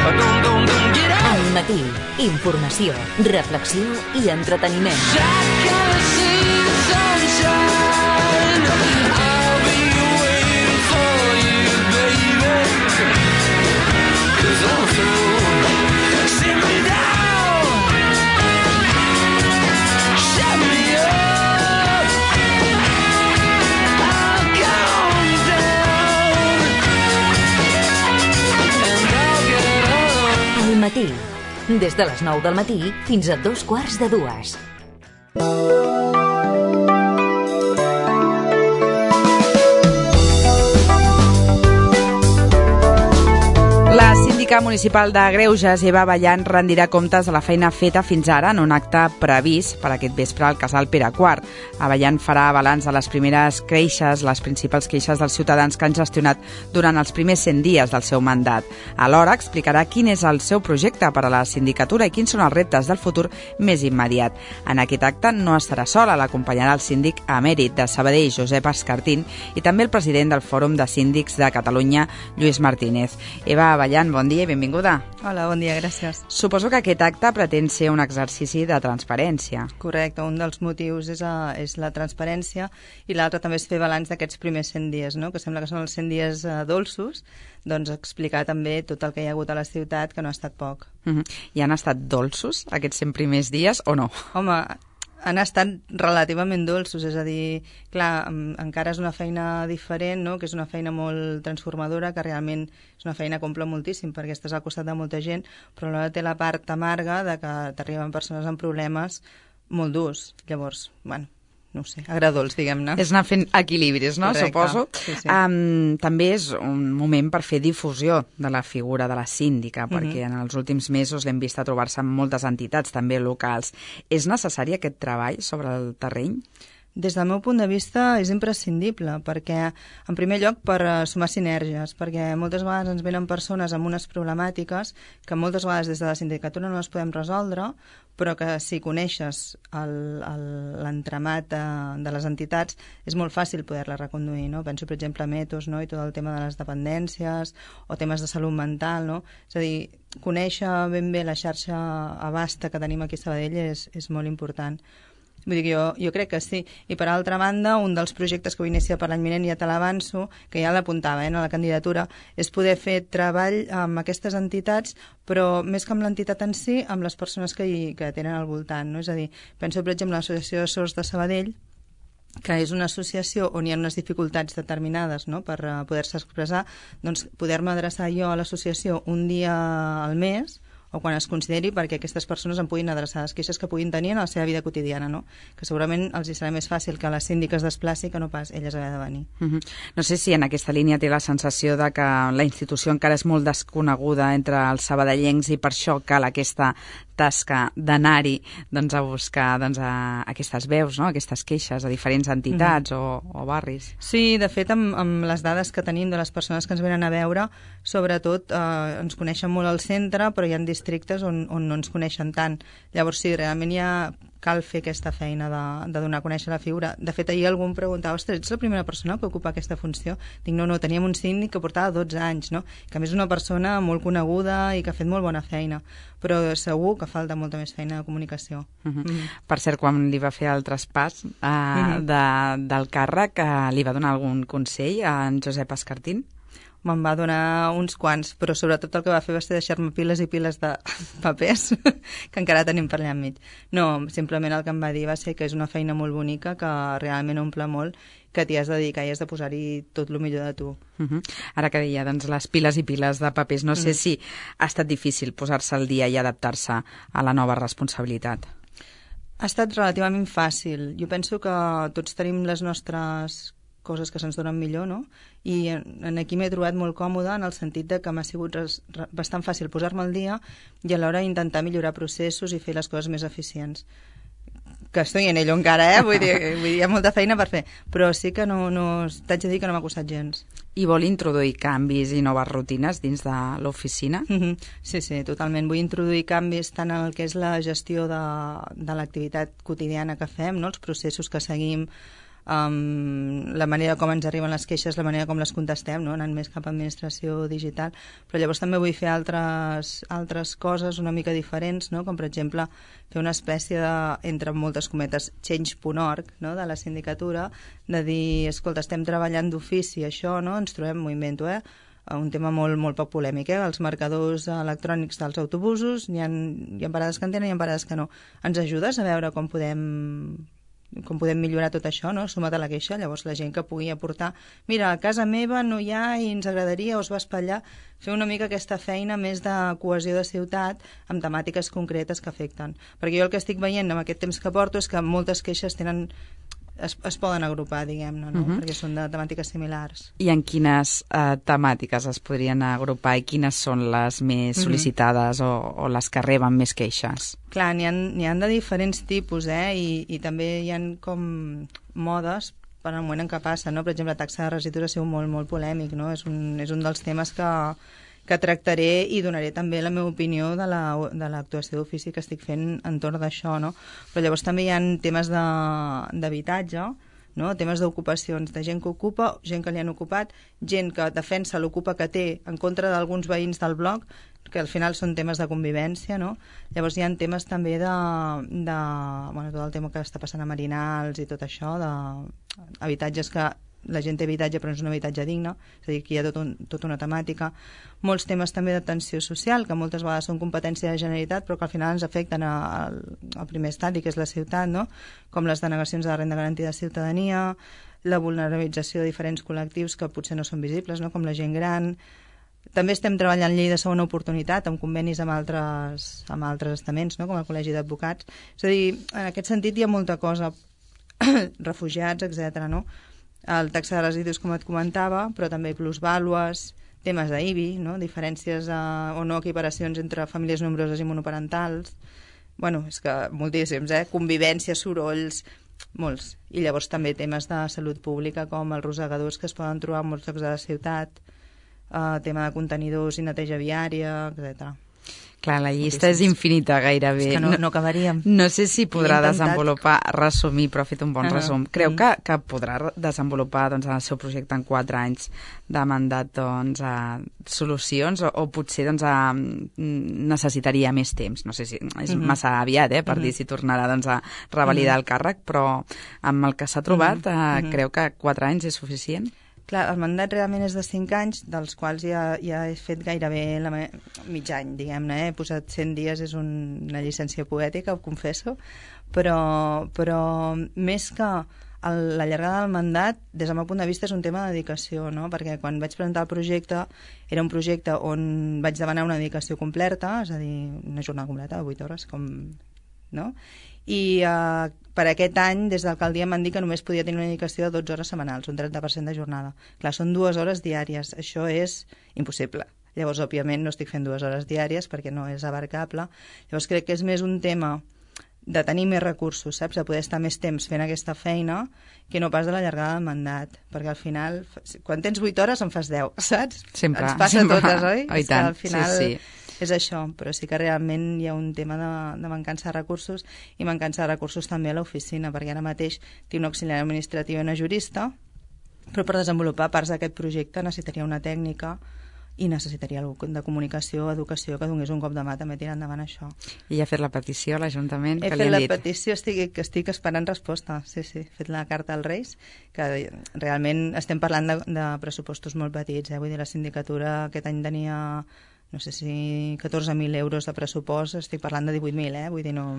Al matí, informació, reflexió i entreteniment. Matí, des de les 9 del matí fins a 2:15. La síndica municipal de Greuges, Eva Abellan, rendirà comptes de la feina feta fins ara en un acte previst per aquest vespre al casal Pere IV. Abellan farà balanç de les primeres queixes, les principals queixes dels ciutadans que han gestionat durant els primers 100 dies del seu mandat. Alhora explicarà quin és el seu projecte per a la sindicatura i quins són els reptes del futur més immediat. En aquest acte no estarà sola, l'acompanyarà el síndic emèrit de Sabadell, Josep Escartín, i també el president del Fòrum de Síndics de Catalunya, Lluís Martínez. Eva Abellan, bon dia i benvinguda. Hola, bon dia, gràcies. Suposo que aquest acte pretén ser un exercici de transparència. Correcte, un dels motius és la transparència i l'altre també és fer balanç d'aquests primers 100 dies, no? Que sembla que són els 100 dies dolços, doncs explicar també tot el que hi ha hagut a la ciutat, que no ha estat poc. I han estat dolços aquests 100 primers dies o no? Home, han estat relativament dolços, és a dir, clar, encara és una feina diferent, no? Que és una feina molt transformadora, que realment és una feina que omple moltíssim perquè estàs al costat de molta gent, però alhora té la part amarga de que t'arriben persones amb problemes molt durs. Llavors, bueno, no ho sé, agradolç, diguem-ne. És anar fent equilibris, no? Correcte. Suposo. Sí, sí. També és un moment per fer difusió de la figura de la síndica, perquè en els últims mesos l'hem vist a trobar-se amb moltes entitats, també locals. És necessari aquest treball sobre el terreny? Des del meu punt de vista és imprescindible, perquè, en primer lloc, per sumar sinergies, perquè moltes vegades ens venen persones amb unes problemàtiques que moltes vegades des de la sindicatura no les podem resoldre, però que si coneixes l'entramat de les entitats és molt fàcil poder-les reconduir, no? Penso, per exemple, a Metos, no? I tot el tema de les dependències o temes de salut mental, no? És a dir, conèixer ben bé la xarxa abasta que tenim aquí a Sabadell és molt important. Vull dir que jo crec que sí. I per altra banda, un dels projectes que vull iniciar per l'any vinent, ja te l'avanço, que ja l'apuntava a la candidatura, és poder fer treball amb aquestes entitats, però més que amb l'entitat en si, amb les persones que tenen al voltant, no? És a dir, penso, per exemple, l'Associació de Sords de Sabadell, que és una associació on hi ha unes dificultats determinades, no?, per poder-se expressar, doncs poder-me adreçar jo a l'associació un dia al mes o quan es consideri, perquè aquestes persones em puguin adreçar les queixes que puguin tenir en la seva vida quotidiana, no? Que segurament els serà més fàcil que la síndica es desplaci que no pas elles haver de venir. No sé si en aquesta línia té la sensació de que la institució encara és molt desconeguda entre els sabadellencs i per això cal aquesta tasca d'anar-hi a buscar aquestes veus, no? Aquestes queixes a diferents entitats o barris. Sí, de fet, amb les dades que tenim de les persones que ens venen a veure, sobretot ens coneixen molt al centre, però hi ha districtes on no ens coneixen tant. Llavors, sí, realment cal fer aquesta feina de donar a conèixer la figura. De fet, ahir algú em preguntava, ostres, ets la primera persona que ocupa aquesta funció? Dic, no, teníem un síndic que portava 12 anys, no? Que a més és una persona molt coneguda i que ha fet molt bona feina, però segur que falta molta més feina de comunicació. Per cert, quan li va fer el traspàs del càrrec, li va donar algun consell a en Josep Escartín? Me'n va donar uns quants, però sobretot el que va fer va ser deixar-me piles i piles de papers que encara tenim per allà enmig. No, simplement el que em va dir va ser que és una feina molt bonica, que realment omple molt, que t'hi has de dedicar i has de posar-hi tot el millor de tu. Ara que deia, doncs, les piles i piles de papers, no sé si ha estat difícil posar-se al dia i adaptar-se a la nova responsabilitat. Ha estat relativament fàcil. Jo penso que tots tenim les nostres coses que se'ns donen millor, no? I aquí m'he trobat molt còmoda en el sentit de que m'ha sigut bastant fàcil posar-me al dia i alhora intentar millorar processos i fer les coses més eficients. Que estoy en ello encara, vull dir, hi ha molta feina per fer, però sí que no t'haig de dir que no m'ha costat gens. I vol introduir canvis i noves rutines dins de l'oficina? Sí, totalment. Vull introduir canvis tant en el que és la gestió de l'activitat quotidiana que fem, no? Els processos que seguim, la manera com ens arriben les queixes, la manera com les contestem, no? Anant més cap a administració digital, però llavors també vull fer altres coses una mica diferents, no? Com per exemple fer una espècie de, entre moltes cometes, change.org, no? De la sindicatura, de dir, escolta, estem treballant d'ofici això, no? Ens trobem, m'ho invento, un tema molt poc polèmic, els marcadors electrònics dels autobusos, hi ha parades que en tenen i hi ha parades que no. Ens ajudes a veure com podem millorar tot això, no? Suma't a la queixa, llavors la gent que pugui aportar, mira, a casa meva no hi ha i ens agradaria, o es va espatllar, fer una mica aquesta feina més de cohesió de ciutat amb temàtiques concretes que afecten. Perquè jo el que estic veient amb aquest temps que porto és que moltes queixes es poden agrupar, diguem-ne, no? Perquè són de temàtiques similars. I en quines temàtiques es podrien agrupar i quines són les més sol·licitades o les que reben més queixes? Clar, n'hi ha de diferents tipus, i també hi ha com modes per al moment en què passa, no? Per exemple, la taxa de residus ha sigut molt polèmic, no? És un dels temes que tractaré i donaré també la meva opinió de l'actuació d'ofici que estic fent entorn d'això, no? Però llavors també hi ha temes d'habitatge, no? Temes d'ocupacions, de gent que ocupa, gent que li han ocupat, gent que defensa l'ocupa que té en contra d'alguns veïns del bloc, que al final són temes de convivència, no? Llavors hi ha temes també tot el tema que està passant a Marinals i tot això, d'habitatges que la gent té habitatge però no és un habitatge digne, és a dir, que hi ha tota una temàtica. Molts temes també d'atenció social, que moltes vegades són competència de la Generalitat però que al final ens afecten al primer estadi, que és la ciutat, no? Com les denegacions de la renda garantida de ciutadania, la vulnerabilització de diferents col·lectius que potser no són visibles, no? Com la gent gran. També estem treballant llei de segona oportunitat amb convenis amb altres estaments, no? Com el Col·legi d'Advocats. És a dir, en aquest sentit hi ha molta cosa, refugiats, etc., no? El taxa de residus, com et comentava, però també plusvàlues, temes d'IBI, no? Diferències o no equiparacions entre famílies nombroses i monoparentals. Bueno, és que moltíssims, convivència, sorolls, molts. I llavors també temes de salut pública com els rosegadors que es poden trobar en molts llocs de la ciutat, tema de contenidors i neteja viària, etc. Clar, la llista és infinita gairebé. És que no acabaríem. No sé si podrà desenvolupar, resumir, però ha fet un bon resum. Creu que podrà desenvolupar en el seu projecte en 4 anys de mandat solucions o potser necessitaria més temps? No sé si és massa aviat per dir si tornarà a revalidar el càrrec, però amb el que s'ha trobat creu que 4 anys és suficient? Clar, el mandat realment és de 5 anys, dels quals ja he fet gairebé mig any, diguem-ne. He posat 100 dies, és una llicència poètica, ho confesso, però més que la llargada del mandat, des del meu punt de vista, és un tema de dedicació, no? Perquè quan vaig presentar el projecte, era un projecte on vaig demanar una dedicació completa, és a dir, una jornada completa de 8 hores, no? I per aquest any, des de l'alcaldia m'han dit que només podia tenir una dedicació de 12 hores setmanals, un 30% de jornada. Clar, són 2 hores diàries, això és impossible. Llavors, òbviament, no estic fent 2 hores diàries perquè no és abarcable. Llavors, crec que és més un tema de tenir més recursos, saps? De poder estar més temps fent aquesta feina que no pas de la llargada del mandat. Perquè al final, quan tens 8 hores en fas 10, saps? Sempre. Ens passa a totes, oi? Oh, i tant, al final, sí. És això, però sí que realment hi ha un tema de mancança de recursos i mancança de recursos també a l'oficina, perquè ara mateix té una auxiliar administrativa i una jurista, però per desenvolupar parts d'aquest projecte necessitaria una tècnica i necessitaria algú de comunicació, educació, que donés un cop de mà també tirar endavant això. I ha fet la petició a l'Ajuntament? He fet la petició, estic esperant resposta, sí, he fet la carta als Reis, que realment estem parlant de pressupostos molt petits, vull dir, la sindicatura aquest any tenia no sé si 14.000 euros de pressupost, estic parlant de 18.000, vull dir, no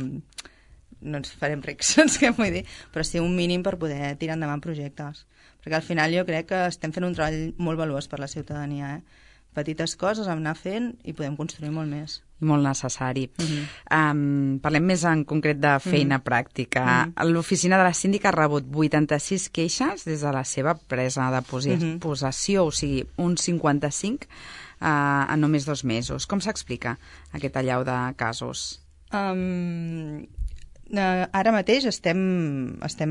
ens farem rics, què vull dir, però sí un mínim per poder tirar endavant projectes, perquè al final jo crec que estem fent un treball molt valuós per la ciutadania, petites coses anar fent i podem construir molt més. I molt necessari. Parlem més en concret de feina pràctica. L'oficina de la síndica ha rebut 86 queixes des de la seva presa de possessió, o sigui, un 55 en només 2 mesos. Com s'explica aquest allau de casos? Ara mateix estem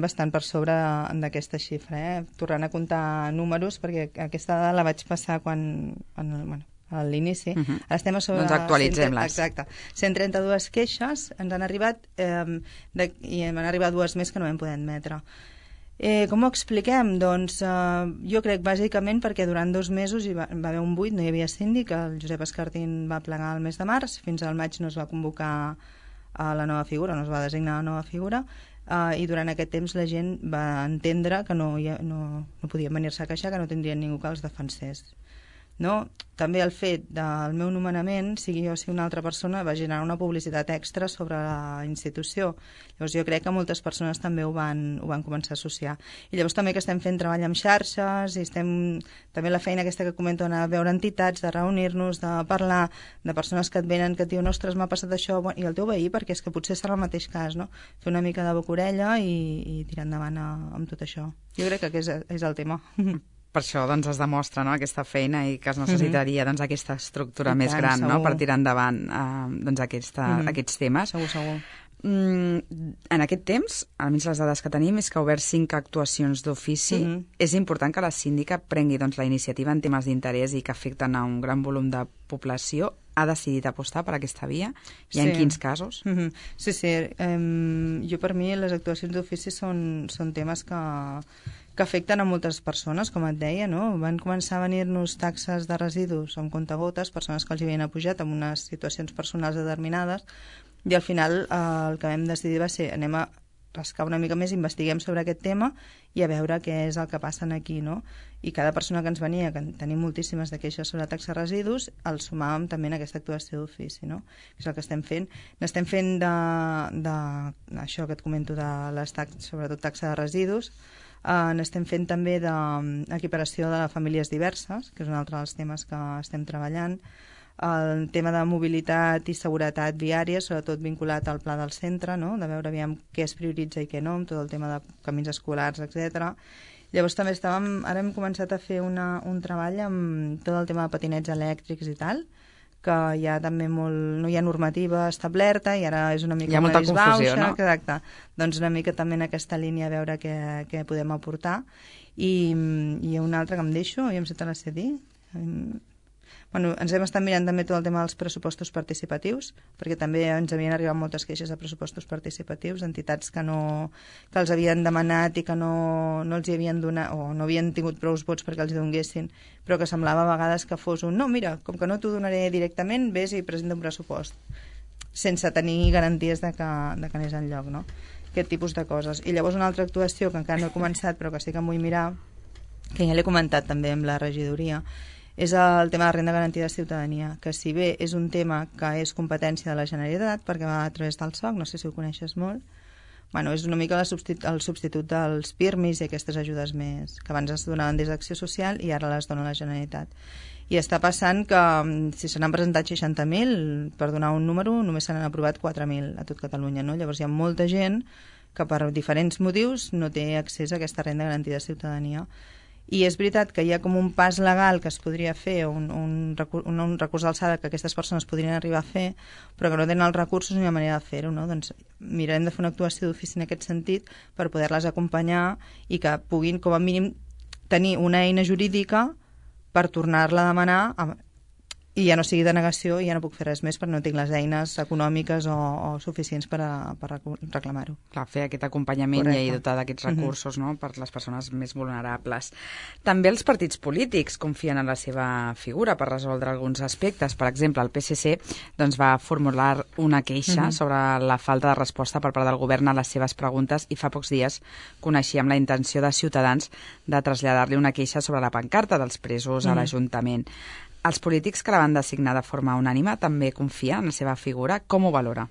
bastant per sobre d'aquesta xifra, tornant a comptar números, perquè aquesta dada la vaig passar a l'inici. Ara estem a sobre... Doncs actualitzem-les. Exacte. 132 queixes ens han arribat i m'han arribat 2 més que no vam poder admetre. Com ho expliquem? Doncs jo crec bàsicament perquè durant 2 mesos va haver un buit, no hi havia síndic, el Josep Escartín va plegar el mes de març, fins al maig no es va convocar a la nova figura, no es va designar la nova figura, i durant aquest temps la gent va entendre que no podien venir-se a queixar, que no tindrien ningú que els defensés. No? També el fet del meu nomenament, sigui jo o sigui una altra persona, va generar una publicitat extra sobre la institució. Llavors jo crec que moltes persones també ho van començar a associar. I llavors també que estem fent treball amb xarxes, i també la feina aquesta que comento, anar a veure entitats, de reunir-nos, de parlar, de persones que et venen, que et diuen, ostres, m'ha passat això, i el teu veí, perquè és que potser serà el mateix cas, no? Fer una mica de boca-orella i tirar endavant amb tot això. Jo crec que és el tema. Per això doncs, es demostra, no?, aquesta feina i que es necessitaria doncs, aquesta estructura més gran, no?, per tirar endavant doncs, aquests temes. Segur. En aquest temps, almenys les dades que tenim, és que ha obert 5 actuacions d'ofici. És important que la síndica prengui doncs, la iniciativa en temes d'interès i que afecten a un gran volum de població. Ha decidit apostar per aquesta via? I en quins casos? Sí. Jo, per mi, les actuacions d'ofici són temes que afecten a moltes persones, com et deia, no? Van començar a venir-nos taxes de residus amb comptagotes, persones que els havien apujat en unes situacions personals determinades, i al final el que vam decidir va ser anem a rascar una mica més, investiguem sobre aquest tema i a veure què és el que passa aquí, no? I cada persona que ens venia, que tenim moltíssimes de queixes sobre taxa de residus, el sumàvem també en aquesta actuació d'ofici, no? És el que estem fent. N'estem fent això que et comento de les taxes, sobretot taxa de residus. N'estem fent també d'equiparació de famílies diverses, que és un altre dels temes que estem treballant. El tema de mobilitat i seguretat viària, sobretot vinculat al pla del centre, no? De veure aviam què es prioritza i què no, amb tot el tema de camins escolars, etc. Llavors també ara hem començat a fer un treball amb tot el tema de patinets elèctrics i tal, que hi ha també no hi ha normativa establerta i ara és una mica... Hi ha molta confusió, no? Exacte. Doncs una mica també en aquesta línia a veure què podem aportar. I hi ha una altra que em deixo, i em sé te la sé dir. Ens hem estat mirant també tot el tema dels pressupostos participatius, perquè també ens havien arribat moltes queixes de pressupostos participatius, entitats que els havien demanat i que no els hi havien donat, o no havien tingut prou vots perquè els donguessin, però que semblava a vegades que fos no, mira, com que no t'ho donaré directament, vés i presenta un pressupost, sense tenir garanties de que anés enlloc, no? Aquest tipus de coses. I llavors una altra actuació que encara no he començat, però que sí que em vull mirar, que ja l'he comentat també amb la regidoria, és el tema de renda garantida de ciutadania, que si bé és un tema que és competència de la Generalitat, perquè va a través del SOC, no sé si ho coneixes molt, és una mica el substitut dels PIRMIs i aquestes ajudes més que abans es donaven des d'Acció Social i ara les dona la Generalitat. I està passant que si se n'han presentat 60.000, per donar un número, només se n'han aprovat 4.000 a tot Catalunya, no? Llavors hi ha molta gent que per diferents motius no té accés a aquesta renda garantida de ciutadania. I és veritat que hi ha com un pas legal que es podria fer, un recurs d'alçada que aquestes persones podrien arribar a fer, però que no tenen els recursos ni la manera de fer-ho, no? Doncs mirarem de fer una actuació d'ofici en aquest sentit per poder-les acompanyar i que puguin, com a mínim, tenir una eina jurídica per tornar-la a demanar i ja no sigui de negació i ja no puc fer res més perquè no tinc les eines econòmiques o suficients per reclamar-ho. Clar, fer aquest acompanyament. Correcte. I dotar d'aquests recursos, no?, per les persones més vulnerables. També els partits polítics confien en la seva figura per resoldre alguns aspectes. Per exemple, el PSC va formular una queixa sobre la falta de resposta per part del govern a les seves preguntes i fa pocs dies coneixíem la intenció de Ciutadans de traslladar-li una queixa sobre la pancarta dels presos a l'Ajuntament. Els polítics que la van designar de forma unànime també confien en la seva figura. Com ho valora?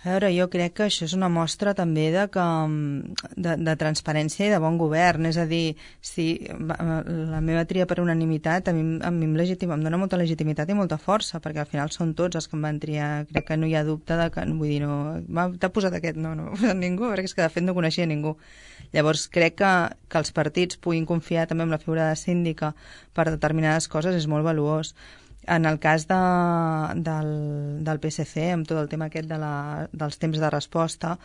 A veure, jo crec que això és una mostra també de transparència i de bon govern. És a dir, si la meva tria per unanimitat a mi em dona molta legitimitat i molta força, perquè al final són tots els que em van triar. Crec que no hi ha dubte de que, vull dir, t'ha posat aquest, no m'ha posat ningú, perquè és que de fet no coneixia ningú. Llavors crec que els partits puguin confiar també en la figura de síndica per determinades coses és molt valuós. En el cas del PSC, amb tot el tema aquest dels temps de resposta,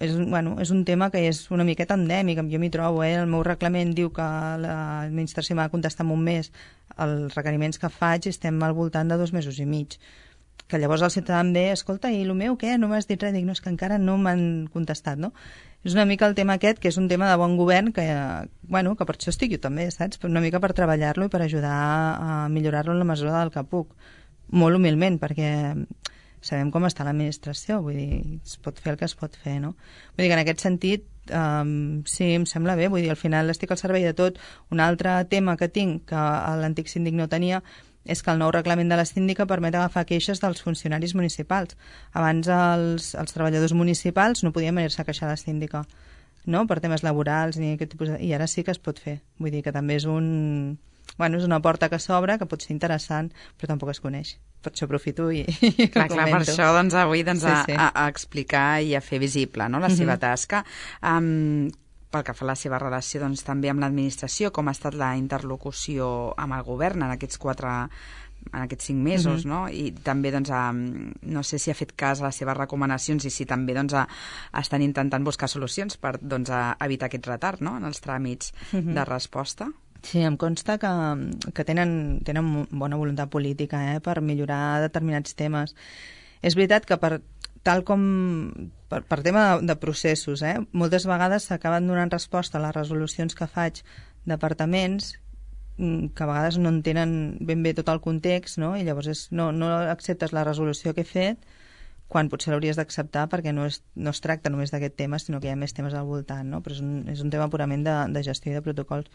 és un tema que és una miqueta endèmic, jo m'hi trobo. El meu reglament diu que l'administració m'ha de contestar en un mes els requeriments que faig i estem al voltant de 2 mesos i mig. que llavors el ciutadà em ve, escolta, i el meu què? No m'has dit res? Dic, no, és que encara no m'han contestat, no? És una mica el tema aquest, que és un tema de bon govern, que per això estic jo també, saps? Una mica per treballar-lo i per ajudar a millorar-lo en la mesura del que puc. Molt humilment, perquè sabem com està l'administració, vull dir, es pot fer el que es pot fer, no? Vull dir que en aquest sentit, sí, em sembla bé, vull dir, al final estic al servei de tot. Un altre tema que tinc, que l'antic síndic no tenia, és que el nou reglament de la síndica permet agafar queixes dels funcionaris municipals. Abans els treballadors municipals no podien venir-se a queixar a la síndica, no?, per temes laborals ni aquest tipus i ara sí que es pot fer. Vull dir que també és és una porta que s'obre, que pot ser interessant, però tampoc es coneix. Per això aprofito i clar, per això avui a explicar i a fer visible, no?, la seva tasca. Pel que fa a la seva relació també amb l'administració, com ha estat la interlocució amb el govern en aquests 5 mesos, no? I també, no sé si ha fet cas a les seves recomanacions i si també estan intentant buscar solucions per evitar aquest retard, no?, en els tràmits de resposta. Sí, em consta que tenen bona voluntat política per millorar determinats temes. És veritat que per tema de processos, moltes vegades s'acaben donant resposta a les resolucions que faig departaments que a vegades no entenen ben bé tot el context, no? I llavors no acceptes la resolució que he fet quan potser l'hauries d'acceptar perquè no es tracta només d'aquest tema, sinó que hi ha més temes al voltant, no? Però és un tema purament de gestió i de protocols.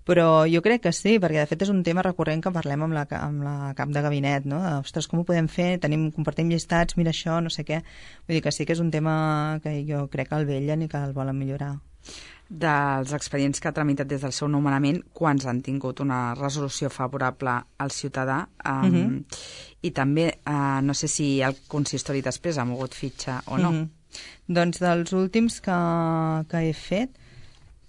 Però jo crec que sí, perquè de fet és un tema recurrent que parlem amb la cap de gabinet, no? Ostres, com ho podem fer? Compartim llistats, mira això, no sé què. Vull dir que sí que és un tema que jo crec que el vetllen i que el volen millorar. Dels expedients que ha tramitat des del seu nomenament, quants han tingut una resolució favorable al ciutadà? I també, no sé si el consistori després ha mogut fitxa o no. Doncs dels últims que he fet,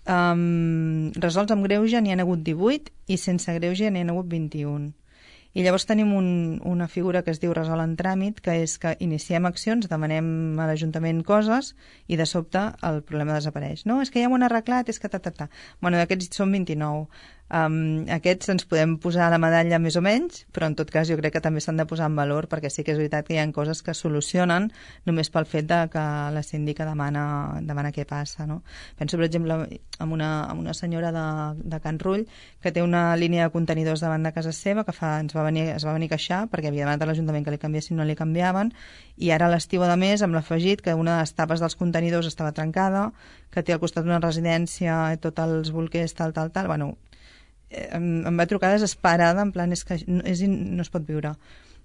resolts amb greuge n'hi ha hagut 18 i sense greuge n'hi ha hagut 21. I llavors tenim una figura que es diu resol en tràmit, que és que iniciem accions, demanem a l'Ajuntament coses i de sobte el problema desapareix. No, és que ja m'ho han arreglat, és que Bueno, d'aquests són 29. Aquests ens podem posar la medalla més o menys, però en tot cas jo crec que també s'han de posar en valor perquè sí que és veritat que hi ha coses que solucionen només pel fet de que la síndica demana què passa, no? Penso, per exemple, en una senyora de Can Rull que té una línia de contenidors davant de casa seva que es va venir a queixar perquè havia demanat a l'Ajuntament que li canviessin, no li canviaven, i ara a l'estiu, a més, amb l'afegit que una de les tapes dels contenidors estava trencada, que té al costat d'una residència i tots els bolquers, tal. Bueno, em va trucar desesperada, en plan, és que no es pot viure.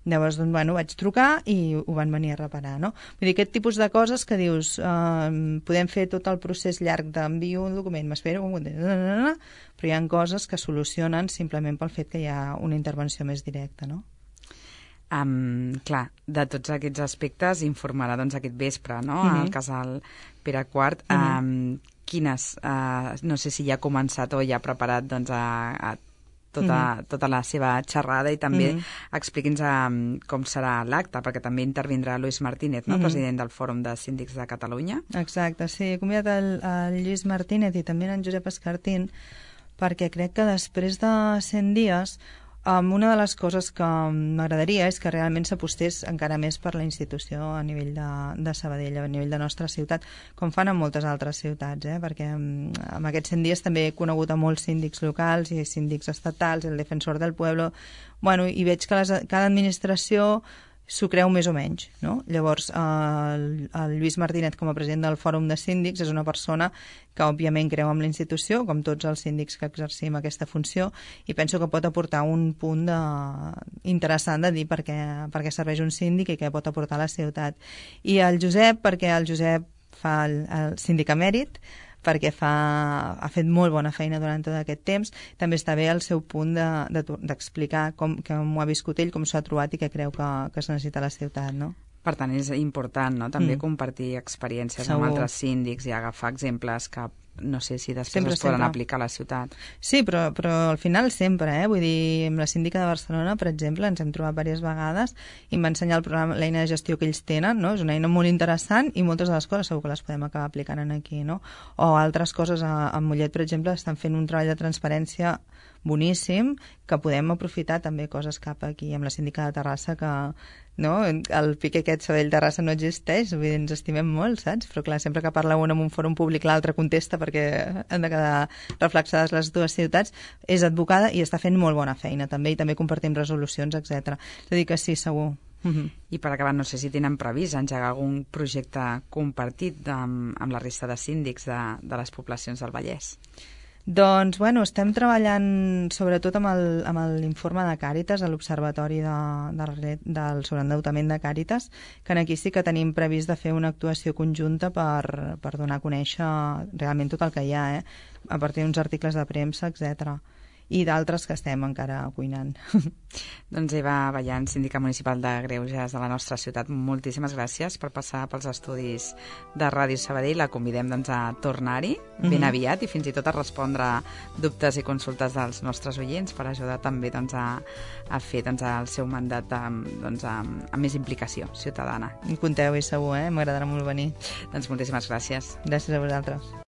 Llavors, vaig trucar i ho van venir a reparar, no? Vull dir, aquest tipus de coses que dius, podem fer tot el procés llarg d'envio un document, m'espero, però hi ha coses que solucionen simplement pel fet que hi ha una intervenció més directa, no? Clar, de tots aquests aspectes informarà aquest vespre, no?, al casal Pere IV. Quines, no sé si ja ha començat o ja ha preparat tota la seva xerrada i també expliqui'ns com serà l'acte, perquè també intervindrà Lluís Martínez, no?, president del Fòrum de Síndics de Catalunya. Exacte, sí, he convidat el Lluís Martínez i també en Josep Escartín perquè crec que després de 100 dies una de les coses que m'agradaria és que realment s'apostés encara més per la institució a nivell de Sabadell, a nivell de nostra ciutat, com fan en moltes altres ciutats, perquè en aquests 100 dies també he conegut a molts síndics locals i síndics estatals, el defensor del pueblo, i veig que cada administració s'ho creu més o menys, no? Llavors, el Lluís Martínez, com a president del Fòrum de Síndics, és una persona que, òbviament, creu en la institució, com tots els síndics que exercim aquesta funció, i penso que pot aportar un punt interessant de dir per què serveix un síndic i què pot aportar a la ciutat. I el Josep, perquè el Josep fa el síndic emèrit, perquè ha fet molt bona feina durant tot aquest temps. També està bé el seu punt d'explicar com ho ha viscut ell, com s'ho ha trobat i què creu que es necessita a la ciutat, no? Per tant, és important, no?, també compartir experiències amb altres síndics i agafar exemples que no sé si després es poden aplicar a la ciutat. Sí, però al final sempre, vull dir, amb la síndica de Barcelona, per exemple, ens hem trobat diverses vegades i em va ensenyar el programa, l'eina de gestió que ells tenen, no? És una eina molt interessant i moltes de les coses segur que les podem acabar aplicant aquí, no? O altres coses, a Mollet, per exemple, estan fent un treball de transparència boníssim, que podem aprofitar també coses cap aquí amb la síndica de Terrassa, que no? El pique aquest Sabadell-Terrassa no existeix, vull dir, ens estimem molt, saps? Però clar, sempre que parla un en un fòrum públic l'altre contesta perquè han de quedar reflexades les dues ciutats. És advocada i està fent molt bona feina també, i també compartim resolucions, etc. És a dir que sí, segur. I per acabar, no sé si tenen previst engegar algun projecte compartit amb la resta de síndics de les poblacions del Vallès. Doncs, bueno, estem treballant sobretot amb l'informe de Càritas, a l'Observatori del sobreendeutament de Càritas, que aquí sí que tenim previst de fer una actuació conjunta per donar a conèixer realment tot el que hi ha, a partir d'uns articles de premsa, etc. I d'altres que estem encara cuinant. Doncs Eva Vallant, síndica municipal de Greuges de la nostra ciutat, moltíssimes gràcies per passar pels estudis de Ràdio Sabadell. La convidem a tornar-hi ben aviat i fins i tot a respondre dubtes i consultes dels nostres oients per ajudar també a fer el seu mandat amb més implicació ciutadana. Compteu-hi segur, m'agradarà molt venir. Doncs moltíssimes gràcies. Gràcies a vosaltres.